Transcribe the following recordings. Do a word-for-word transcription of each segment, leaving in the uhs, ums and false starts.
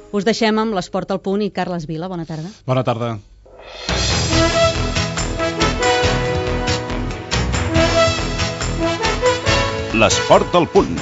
Us deixem amb l'Esport al Punt i Carles Vila. Bona tarda. Bona tarda. L'Esport al Punt.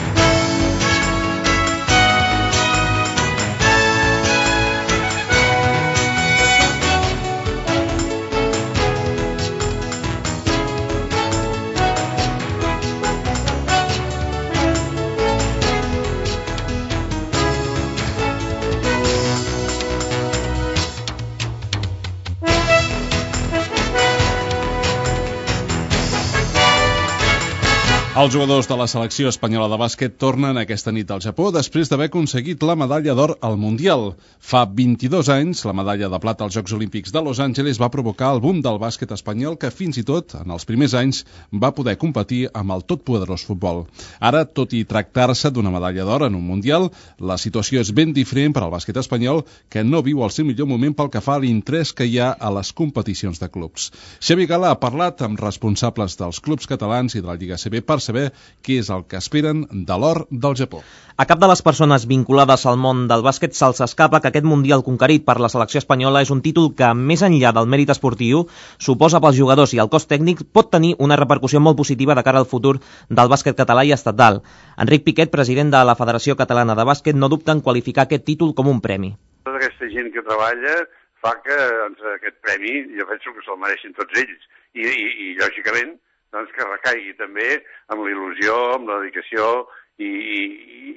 Els jugadors de la selecció espanyola de bàsquet tornen aquesta nit al Japó després d'haver aconseguit la medalla d'or al Mundial. Fa vint-i-dos anys, la medalla de plata als Jocs Olímpics de Los Angeles va provocar el boom del bàsquet espanyol que fins i tot, en els primers anys, va poder competir amb el totpoderós futbol. Ara, tot i tractar-se d'una medalla d'or en un Mundial, la situació és ben diferent per al bàsquet espanyol, que no viu el seu millor moment pel que fa a l'interès que hi ha a les competicions de clubs. Xavi Gala ha parlat amb responsables dels clubs catalans i de la Lliga A C B per saber què és el que esperen de l'or del Japó. A cap de les persones vinculades al món del bàsquet se'ls escapa que aquest Mundial conquerit per la selecció espanyola és un títol que, més enllà del mèrit esportiu, suposa pels jugadors i el cos tècnic pot tenir una repercussió molt positiva de cara al futur del bàsquet català i estatal. Enric Piquet, president de la Federació Catalana de Bàsquet, no dubta en qualificar aquest títol com un premi. Tota aquesta gent que treballa fa que doncs, aquest premi, jo penso que se'l mereixin tots ells. I, i, i lògicament, doncs, que recaigui també amb la il·lusió, amb la dedicació i, i,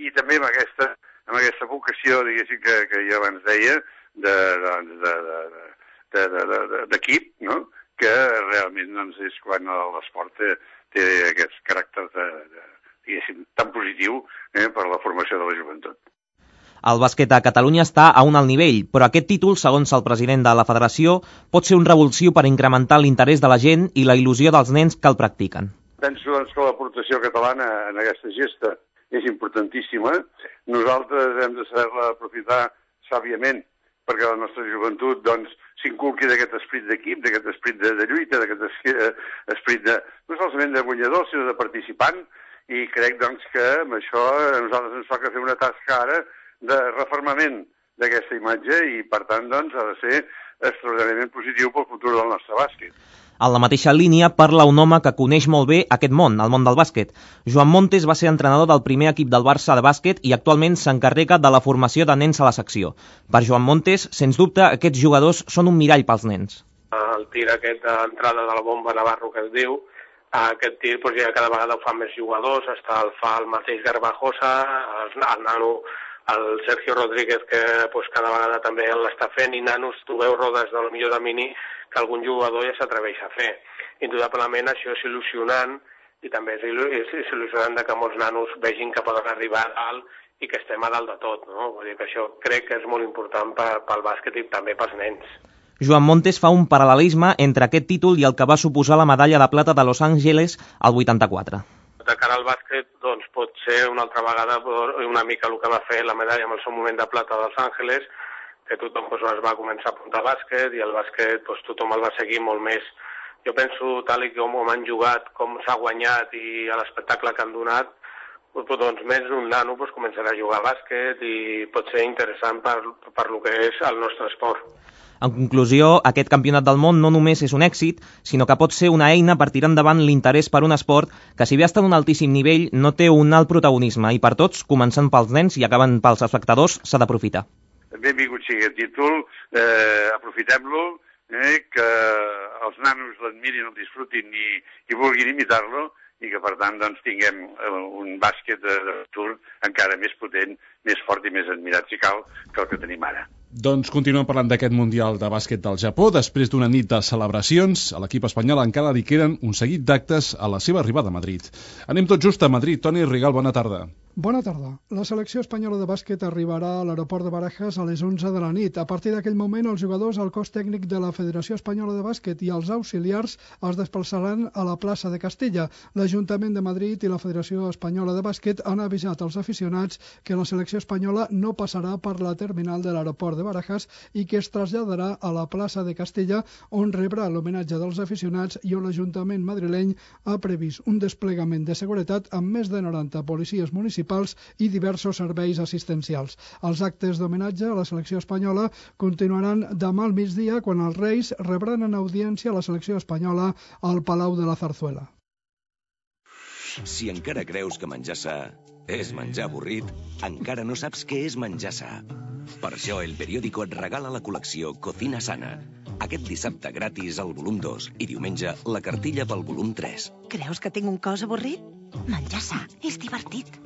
i també amb aquesta, amb aquesta vocació, diguéssim, que, que jo abans deia, de, doncs, de, de, de, de, de, d'equip, no? Que realment doncs, és quan l'esport té, té aquest caràcter de, de, diguéssim, tan positiu eh, per la formació de la joventut. El bàsquet a Catalunya està a un alt nivell, però aquest títol, segons el president de la federació, pot ser un revulsiu per incrementar l'interès de la gent i la il·lusió dels nens que el practiquen. Penso doncs, que l'aportació catalana en aquesta gesta és importantíssima. Nosaltres hem de saber-la aprofitar sàviament perquè la nostra joventut doncs, s'inculqui d'aquest esperit d'equip, d'aquest esperit de, de lluita, d'aquest esperit de, no solament de guanyador, sinó de participant, i crec doncs, que amb això a nosaltres ens toca fer una tasca ara de reformament d'aquesta imatge i, per tant, doncs, ha de ser extraordinàriament positiu pel futur del nostre bàsquet. En la mateixa línia parla un home que coneix molt bé aquest món, el món del bàsquet. Joan Montes va ser entrenador del primer equip del Barça de bàsquet i actualment s'encarrega de la formació de nens a la secció. Per Joan Montes, sens dubte, aquests jugadors són un mirall pels nens. El tir aquest d'entrada de la bomba Navarro que es diu, aquest tir doncs, ja cada vegada ho fan més jugadors, està el fa el mateix Garbajosa, el, el nano, el Sergio Rodríguez, que pues, cada vegada també l'està fent, i nanos, trobeu rodes del millor de mini que algun jugador ja s'atreveix a fer. Indudablement això és il·lusionant i també és, il·lu és, és il·lusionant que molts nanos vegin que poden arribar a dalt i que estem a dalt de tot. No? Vull dir que això crec que és molt important pel bàsquet i també pels nens. Joan Montes fa un paral·lelisme entre aquest títol i el que va suposar la medalla de plata de Los Angeles al vuitanta-quatre. De cara al bàsquet, doncs, pot ser una altra vegada una mica el que va fer la medalla en el seu moment de plata dels Àngeles, que tothom doncs, es va començar a apuntar a bàsquet i el bàsquet doncs, tothom el va seguir molt més. Jo penso, tal i com han jugat, com s'ha guanyat i l'espectacle que han donat, doncs més un nano doncs, començarà a jugar a bàsquet i pot ser interessant per, per lo que és el nostre esport. En conclusió, aquest campionat del món no només és un èxit, sinó que pot ser una eina per tirar endavant l'interès per un esport que, si bé està en un altíssim nivell, no té un alt protagonisme i per tots, començant pels nens i acabant pels espectadors, s'ha d'aprofitar. Benvingut sigui el títol, eh, aprofitem-lo, eh, que els nanos l'admirin, el disfrutin i, i vulguin imitar-lo, i que per tant doncs, tinguem un bàsquet de, de futur encara més potent, més fort i més admirat, si cal, que el que tenim ara. Doncs continuem parlant d'aquest Mundial de bàsquet del Japó. Després d'una nit de celebracions, a l'equip espanyol encara li queden un seguit d'actes a la seva arribada a Madrid. Anem tot just a Madrid. Toni Rigal, bona tarda. Bona tarda. La selecció espanyola de bàsquet arribarà a l'aeroport de Barajas a les onze de la nit. A partir d'aquell moment, els jugadors, el cos tècnic de la Federació Espanyola de Bàsquet i els auxiliars es desplaçaran a la plaça de Castella. L'Ajuntament de Madrid i la Federació Espanyola de Bàsquet han avisat als aficionats que la selecció espanyola no passarà per la terminal de l'aeroport de Barajas i que es traslladarà a la plaça de Castella, on rebrà l'homenatge dels aficionats i on l'Ajuntament madrileny ha previst un desplegament de seguretat amb més de noranta policies municipals municipals i diversos serveis assistencials. Els actes d'homenatge a la selecció espanyola continuaran demà al migdia, quan els Reis rebran en audiència a la selecció espanyola al Palau de la Zarzuela. Si encara creus que menjar sa és menjar avorrit, encara no saps què és menjar sa. Per això El Periódico et regala la col·lecció Cocina Sana. Aquest dissabte gratis al volum dos i diumenge la cartilla pel volum tres. Creus que tinc un cos avorrit? Menjar sa és divertit.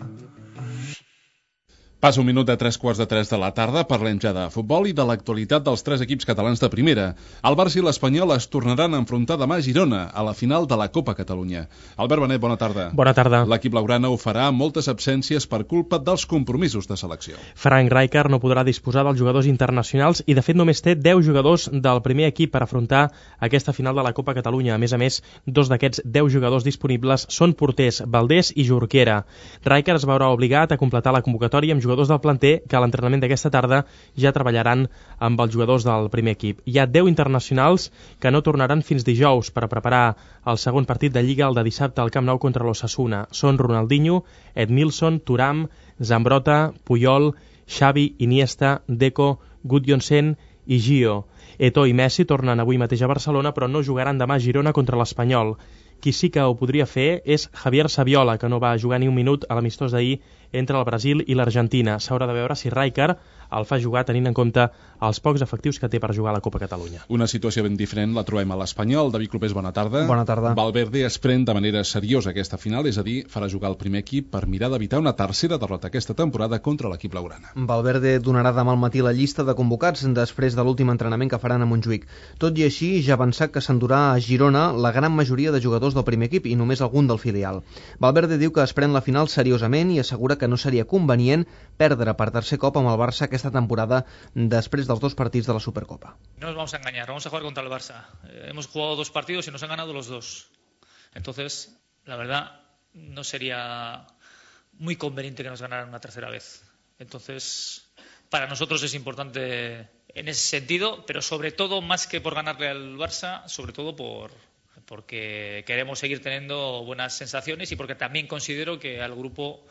Passa un minut de tres quarts de tres de la tarda, parlem ja de futbol i de l'actualitat dels tres equips catalans de primera. El Barça i l'Espanyol es tornaran a enfrontar demà a Girona, a la final de la Copa Catalunya. Albert Benet, bona tarda. Bona tarda. L'equip blaugrana ho farà amb moltes absències per culpa dels compromisos de selecció. Frank Rijkaard no podrà disposar dels jugadors internacionals i de fet només té deu jugadors del primer equip per afrontar aquesta final de la Copa Catalunya. A més a més, dos d'aquests deu jugadors disponibles són porters, Valdés i Jorquera. Rijkaard es veurà obligat a completar la convocatòria amb jugadors jugadors del planter que a l'entrenament d'aquesta tarda ja treballaran amb els jugadors del primer equip. Hi ha deu internacionals que no tornaran fins dijous per a preparar el segon partit de Lliga, el de dissabte al Camp Nou contra l'Osasuna. Són Ronaldinho, Edmilson, Thuram, Zambrota, Puyol, Xavi, Iniesta, Deco, Gudjonsen i Gio. Eto'o i Messi tornen avui mateix a Barcelona, però no jugaran demà a Girona contra l'Espanyol. Qui sí que ho podria fer és Javier Saviola, que no va jugar ni un minut a l'amistós d'ahir entre el Brasil i l'Argentina. S'haurà de veure si Rijkaard el fa jugar tenint en compte els pocs efectius que té per jugar a la Copa Catalunya. Una situació ben diferent la trobem a l'Espanyol. David Clopés, bona tarda. Bona tarda. Valverde es pren de manera seriosa aquesta final, és a dir, farà jugar el primer equip per mirar d'evitar una tercera derrota aquesta temporada contra l'equip blaugrana. Valverde donarà demà al matí la llista de convocats després de l'últim entrenament que faran a Montjuïc. Tot i així, ja ha avançat que s'endurà a Girona la gran majoria de jugadors del primer equip i només algun del filial. Valverde diu que es pren la final seriosament i assegura que no seria convenient perdre per tercer cop amb el Barça aquesta temporada després dels dos partits de la Supercopa. No nos vamos a engañar, vamos a jugar contra el Barça. Eh, hemos jugado dos partidos y nos han ganado los dos. Entonces, la verdad, no sería muy conveniente que nos ganaran una tercera vez. Entonces, para nosotros es importante en ese sentido, pero sobre todo, más que por ganarle al Barça, sobre todo por porque queremos seguir teniendo buenas sensaciones y porque también considero que al grupo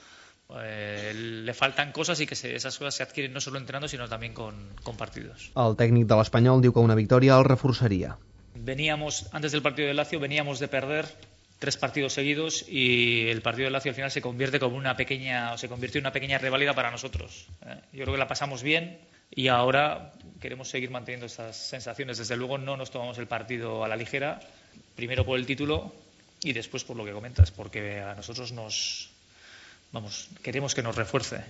eh, le faltan cosas y que se, esas cosas se adquieren no solo entrenando sino también con, con partidos. El tècnic de l'Espanyol diu que una victòria el reforçaria. Veníamos, antes del partido de Lazio, veníamos de perder tres partidos seguidos y el partido de Lazio al final se convierte como una pequeña, o se convirtió en una pequeña reválida para nosotros. ¿eh? Yo creo que la pasamos bien y ahora queremos seguir manteniendo estas sensaciones. Desde luego no nos tomamos el partido a la ligera, primero por el título y después por lo que comentas, porque a nosotros nos, vamos, queremos que nos refuerce.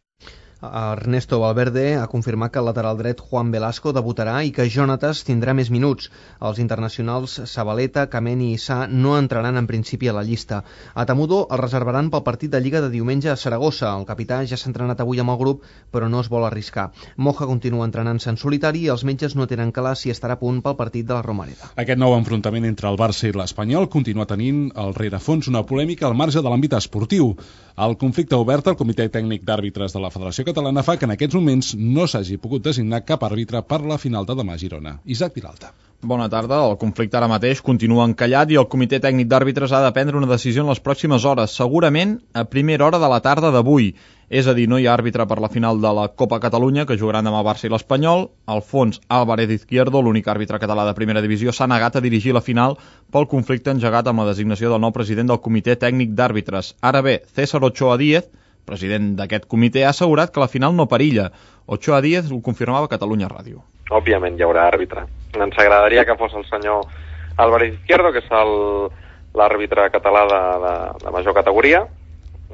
Ernesto Valverde ha confirmat que el lateral dret Juan Velasco debutarà i que Jonatas tindrà més minuts. Els internacionals Zabaleta, Kameni i Sa no entraran en principi a la llista. A Tamudo el reservaran pel partit de Lliga de diumenge a Saragossa. El capità ja s'ha entrenat avui amb el grup, però no es vol arriscar. Moja continua entrenant-se en solitari i els metges no tenen clar si estarà a punt pel partit de la Romareda. Aquest nou enfrontament entre el Barça i l'Espanyol continua tenint al rerefons una polèmica al marge de l'àmbit esportiu. El conflicte obert al Comitè Tècnic d'Àrbitres de la Federació Catalana fa que en aquests moments no s'hagi pogut designar cap àrbitre per la final de demà a Girona. Isaac Vilalta. Bona tarda. El conflicte ara mateix continua encallat i el Comitè Tècnic d'Àrbitres ha de prendre una decisió en les pròximes hores, segurament a primera hora de la tarda d'avui. És a dir, no hi ha àrbitre per la final de la Copa Catalunya, que jugaran demà Barça i l'Espanyol. Alfons Álvarez Izquierdo, l'únic àrbitre català de primera divisió, s'ha negat a dirigir la final pel conflicte engegat amb la designació del nou president del Comitè Tècnic d'Àrbitres. Ara bé, César Ochoa Díez, president d'aquest comitè, ha assegurat que la final no perilla. Ochoa Díez ho confirmava a Catalunya Ràdio. Òbviament hi haurà àrbitre. Ens agradaria que fos el senyor Álvarez Izquierdo, que és l'àrbitre català de, de, de major categoria,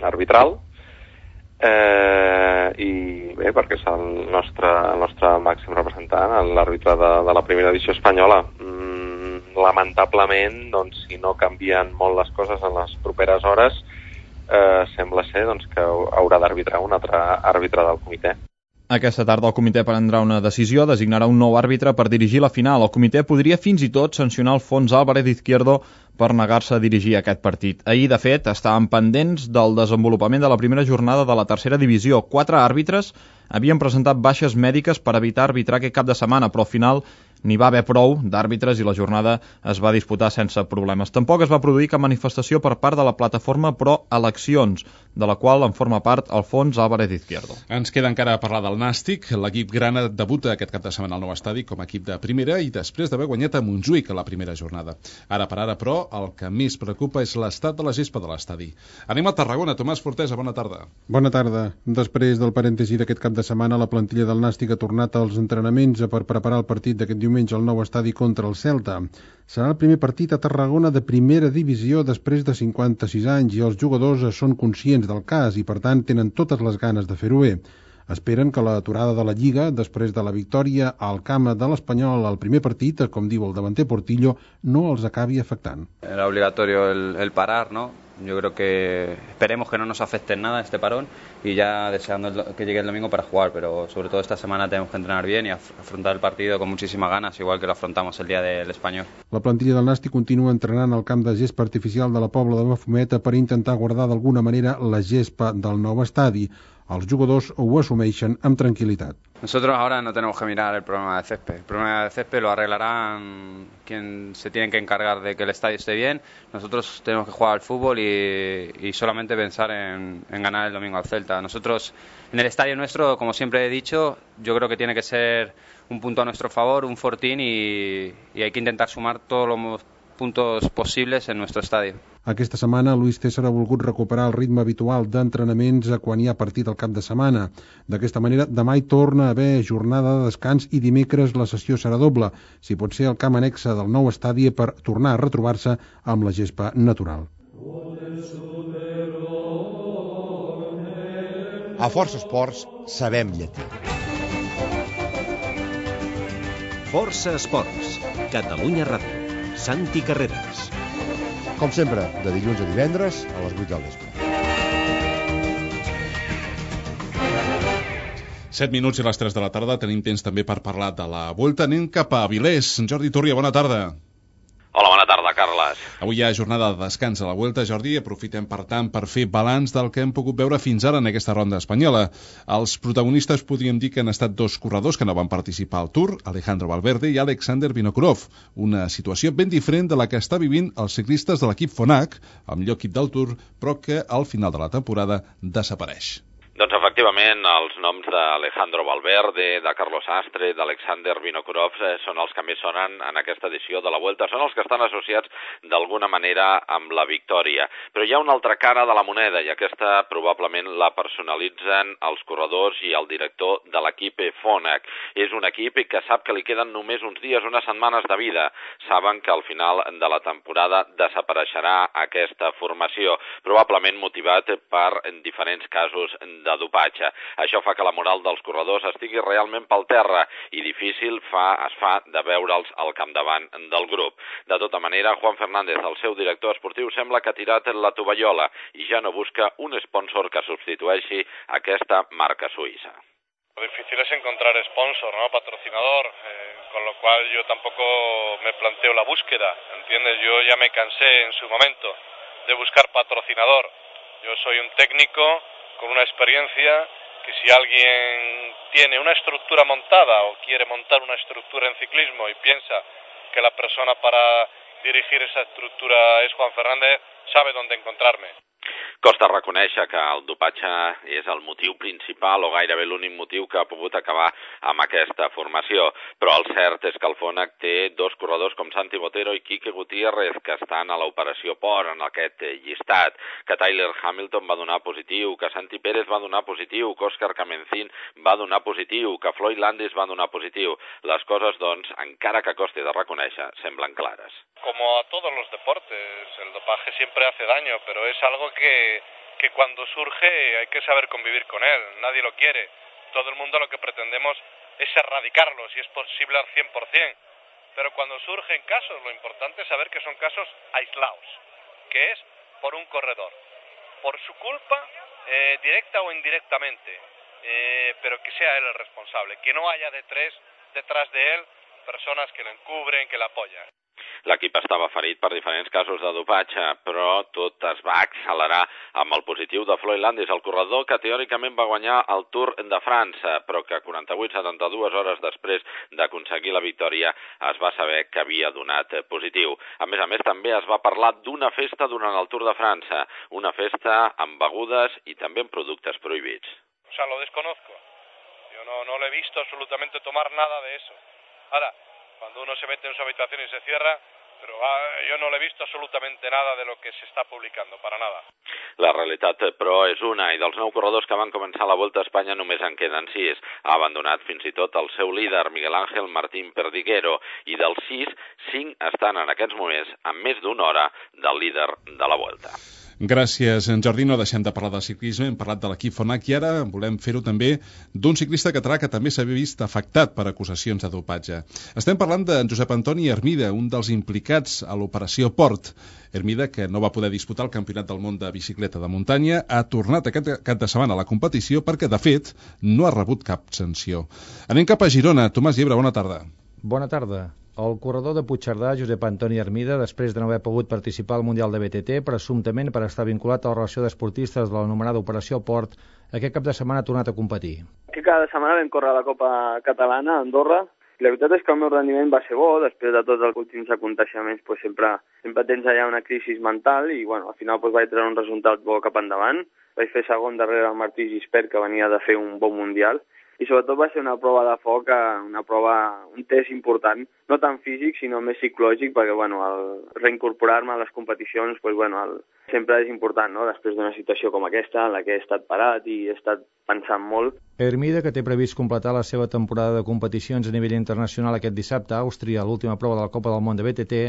arbitral, eh, i bé, perquè és el nostre, el nostre màxim representant, l'àrbitre de, de la primera divisió espanyola. Mm, lamentablement, doncs, si no canvien molt les coses en les properes hores, eh, sembla ser doncs, que haurà d'arbitrar un altre àrbitre del comitè. Aquesta tarda el comitè prendrà una decisió, designarà un nou àrbitre per dirigir la final. El comitè podria fins i tot sancionar Alfons Álvarez Izquierdo per negar-se a dirigir aquest partit. Ahir, de fet, estàvem pendents del desenvolupament de la primera jornada de la tercera divisió. Quatre àrbitres havien presentat baixes mèdiques per evitar arbitrar aquest cap de setmana, però al final n'hi va haver prou d'àrbitres i la jornada es va disputar sense problemes. Tampoc es va produir cap manifestació per part de la plataforma Pro Eleccions, de la qual en forma part Alfons Álvarez Izquierdo. Ens queda encara a parlar del Nàstic. L'equip grana debuta aquest cap de setmana al nou estadi com a equip de primera i després d'haver guanyat a Montjuïc a la primera jornada. Ara per ara, però, el que més preocupa és l'estat de la gespa de l'estadi. Anem a Tarragona. Tomàs Fortesa, bona tarda. Bona tarda. Després del parèntesi d'aquest cap de setmana, la plantilla del Nàstic ha tornat als entrenaments per preparar el partit d'aquest diumenge al nou estadi contra el Celta. Serà el primer partit a Tarragona de primera divisió després de cinquanta-sis anys i els jugadors són conscients del cas i, per tant, tenen totes les ganes de fer-ho bé. Esperen que l'aturada de la Lliga, després de la victòria al camp de l'Espanyol al primer partit, com diu el davanter Portillo, no els acabi afectant. Era obligatorio el, el parar, ¿no? Yo creo que esperemos que no nos afecte en nada este parón y ya deseando que llegue el domingo para jugar, pero sobre todo esta semana tenemos que entrenar bien y afrontar el partido con muchísimas ganas, igual que lo afrontamos el día del Espanyol. La plantilla del Nàstic continua entrenant al camp de gespa artificial de la Pobla de Mafumet per intentar guardar d'alguna manera la gespa del nou estadi. Els jugadors ho assumeixen amb tranquil·litat. Nosotros ahora no tenemos que mirar el problema de césped. El problema de césped lo arreglarán quien se tienen que encargar de que el estadio esté bien. Nosotros tenemos que jugar al fútbol y, y solamente pensar en, en ganar el domingo al Celta. Nosotros, en el estadio nuestro, como siempre he dicho, yo creo que tiene que ser un punto a nuestro favor, un fortín y, y hay que intentar sumar todos los puntos possibles en nuestro estadio. Aquesta setmana, Luis César ha volgut recuperar el ritme habitual d'entrenaments quan hi ha partit al cap de setmana. D'aquesta manera, demà hi torna a haver jornada de descans i dimecres la sessió serà doble, si pot ser el camp annexe del nou estadi per tornar a retrobar-se amb la gespa natural. A Força Esports sabem llatí. Força Esports, Catalunya Ràdio. Santi Carreras. Com sempre, de dilluns a divendres a les vuit del vespre. set minuts i les tres de la tarda. Tenim temps també per parlar de la Vuelta. Anem cap a Avilés. Jordi Túria, bona tarda. Hola, bona tarda, Carles. Avui hi ha jornada de descans a la Vuelta, Jordi. Aprofitem, per tant, per fer balanç del que hem pogut veure fins ara en aquesta ronda espanyola. Els protagonistes podríem dir que han estat dos corredors que no van participar al Tour, Alejandro Valverde i Alexander Vinokurov. Una situació ben diferent de la que està vivint els ciclistes de l'equip Fonac, el millor equip del Tour, però que al final de la temporada desapareix. Doncs efectivament els noms d'Alejandro Valverde, de Carlos Astre, d'Alexander Vinokurov eh, són els que més sonen en aquesta edició de la Vuelta, són els que estan associats d'alguna manera amb la victòria. Però hi ha una altra cara de la moneda i aquesta probablement la personalitzen els corredors i el director de l'equip Fonac. És un equip que sap que li queden només uns dies, unes setmanes de vida. Saben que al final de la temporada desapareixerà aquesta formació, probablement motivat per diferents casos de de dopatge. Això fa que la moral dels corredors estigui realment pel terra i difícil fa, es fa de veure'ls al capdavant del grup. De tota manera, Juan Fernández, el seu director esportiu, sembla que ha tirat la tovallola i ja no busca un sponsor que substitueixi aquesta marca suïssa. Lo difícil es encontrar sponsor, ¿no? Patrocinador, eh, con lo cual yo tampoco me planteo la búsqueda, ¿entiendes? Yo ya me cansé en su momento de buscar patrocinador. Yo soy un técnico con una experiencia que si alguien tiene una estructura montada o quiere montar una estructura en ciclismo y piensa que la persona para dirigir esa estructura es Juan Fernández, sabe dónde encontrarme. Costa reconèixer que el dopatge és el motiu principal o gairebé l'únic motiu que ha pogut acabar amb aquesta formació, però el cert és que el Fonac té dos corredors com Santi Botero i Quique Gutiérrez que estan a l'operació P O R en aquest llistat, que Tyler Hamilton va donar positiu, que Santi Pérez va donar positiu, que Óscar Kamencín va donar positiu, que Floyd Landis va donar positiu. Les coses, doncs, encara que costi de reconèixer, semblen clares. Como a todos los deportes, el dopaje siempre hace daño, pero es algo que, que cuando surge hay que saber convivir con él. Nadie lo quiere. Todo el mundo lo que pretendemos es erradicarlo, si es posible al cien por cien. Pero cuando surgen casos, lo importante es saber que son casos aislados, que es por un corredor, por su culpa, eh, directa o indirectamente, eh, pero que sea él el responsable, que no haya de tres, detrás de él personas que lo encubren, que lo apoyan. l'equip estava ferit per diferents casos de dopatge, però tot es va accelerar amb el positiu de Floyd Landis, el corredor que teòricament va guanyar el Tour de França, però que quaranta-vuit a setanta-dues hores després d'aconseguir la victòria es va saber que havia donat positiu. A més a més, també es va parlar d'una festa durant el Tour de França, una festa amb begudes y también productos prohibidos. O sea, lo desconozco. Yo no, no le he visto absolutamente tomar nada de eso. Ahora, cuando uno se mete en su habitación y se cierra, pero ah, yo no le he visto absolutamente nada de lo que se está publicando, para nada. La realitat, però, és una, i dels nou corredors que van començar la Volta a Espanya només en queden sis. Ha abandonat fins i tot el seu líder, Miguel Ángel Martín Perdiguero, i dels sis, cinc estan en aquests moments amb més d'una hora del líder de la Volta. Gràcies, en Jordi. No deixem de parlar de ciclisme, hem parlat de l'equip Fonac i ara volem fer-ho també d'un ciclista català que també s'ha vist afectat per acusacions de dopatge. Estem parlant de Josep Antoni Hermida, un dels implicats a l'operació Port. Hermida, que no va poder disputar el Campionat del Món de bicicleta de muntanya, ha tornat aquest cap de setmana a la competició perquè, de fet, no ha rebut cap sanció. Anem cap a Girona. Tomàs Llebre, bona tarda. Bona tarda. El corredor de Puigcerdà, Josep Antoni Hermida, després de no haver pogut participar al Mundial de B T T, presumptament per estar vinculat a la relació d'esportistes de l'anomenada Operació Port, aquest cap de setmana ha tornat a competir. Aquest cap de setmana vam córrer la Copa Catalana a Andorra. La veritat és que el meu rendiment va ser bo, després de tots els últims aconteixements pues, sempre, sempre tens allà una crisi mental i bueno, al final pues, vaig treure un resultat bo cap endavant. Vaig fer segon darrere el Martí Gispert, que venia de fer un bon Mundial. I sobretot va ser una prova de foc, una prova, un test important, no tant físic, sinó més psicològic, perquè bueno, el reincorporar-me a les competicions pues, bueno, el, sempre és important, no? Després d'una situació com aquesta, en la que he estat parat i he estat pensant molt. Hermida, que té previst completar la seva temporada de competicions a nivell internacional aquest dissabte a Àustria, l'última prova de la Copa del Món de B T T,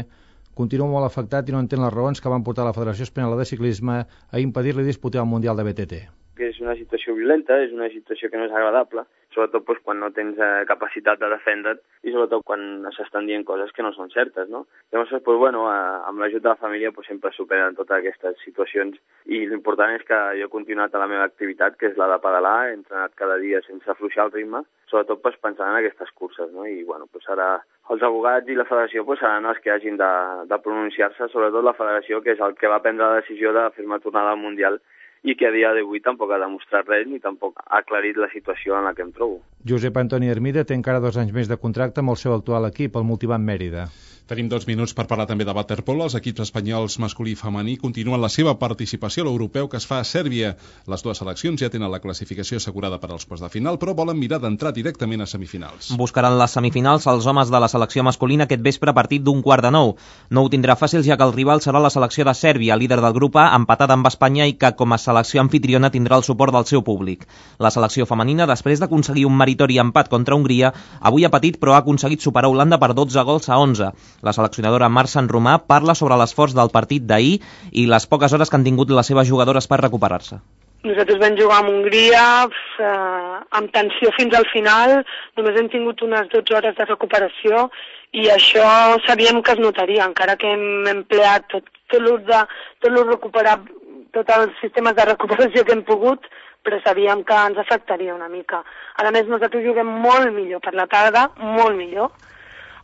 continua molt afectat i no entén les raons que van portar la Federació Espanyola de Ciclisme a impedir-li disputar el Mundial de B T T. Que és una situació violenta, és una situació que no és agradable, sobretot pues, quan no tens eh, capacitat de defendre't i sobretot quan s'estan dient coses que no són certes, no? Llavors, pues, bueno, eh, amb l'ajut de la família pues, sempre superen totes aquestes situacions i l'important és que jo he continuat a la meva activitat, que és la de pedalar, he entrenat cada dia sense afluixar el ritme, sobretot pues, pensant en aquestes curses, no? I bueno, pues, ara els abogats i la federació pues, seran els que hagin de, de pronunciar-se, sobretot la federació, que és el que va prendre la decisió de fer-me tornar al Mundial i que a dia d'avui tampoc ha demostrat res ni tampoc ha aclarit la situació en la que em trobo. Josep Antoni Hermida té encara dos anys més de contracte amb el seu actual equip, el Multivan Mèrida. Tenim dos minuts per parlar també de waterpolo. Els equips espanyols masculí i femení continuen la seva participació a l'europeu que es fa a Sèrbia. Les dues seleccions ja tenen la classificació assegurada per als quarts de final, però volen mirar d'entrar directament a semifinals. Buscaran les semifinals els homes de la selecció masculina aquest vespre a partir d'un quart de nou. No ho tindrà fàcil, ja que el rival serà la selecció de Sèrbia, líder del grup A, empatada amb Espanya i que com a selecció anfitriona tindrà el suport del seu públic. La selecció femenina, després d'aconseguir un meritori empat contra Hongria, avui ha patit però ha aconseguit superar Holanda per dotze gols a onze. La seleccionadora Mar Sant Romà parla sobre l'esforç del partit d'ahir i les poques hores que han tingut les seves jugadores per recuperar-se. Nosaltres vam jugar amb Hongria eh, amb tensió fins al final, només hem tingut unes dotze hores de recuperació i això sabíem que es notaria, encara que hem empleat tot, tot l'ús de tot l'ús recuperar, tots els sistemes de recuperació que hem pogut, però sabíem que ens afectaria una mica. A més, nosaltres juguem molt millor per la tarda, molt millor,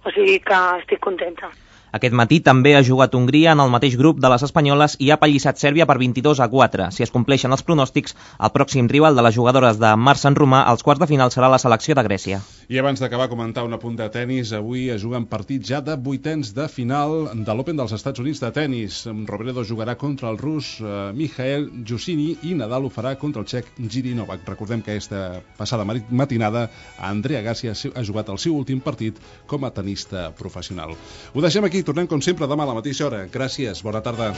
o sigui que estic contenta. Aquest matí també ha jugat Hongria en el mateix grup de les espanyoles i ha pallissat Sèrbia per vint-i-dos a quatre. Si es compleixen els pronòstics, el pròxim rival de les jugadores de Mar Sant Romà als quarts de final serà la selecció de Grècia. I abans d'acabar, comentar un apunt de tennis. Avui es juguen partits ja de vuitens de final de l'Open dels Estats Units de tennis. Robredo jugarà contra el rus eh, Mikhail Jushini i Nadal ho farà contra el txec Jiri Novak. Recordem que aquesta passada matinada Andrea Agassi ha jugat el seu últim partit com a tenista professional. Ho deixem aquí, tornem com sempre demà a la mateixa hora. Gràcies, bona tarda.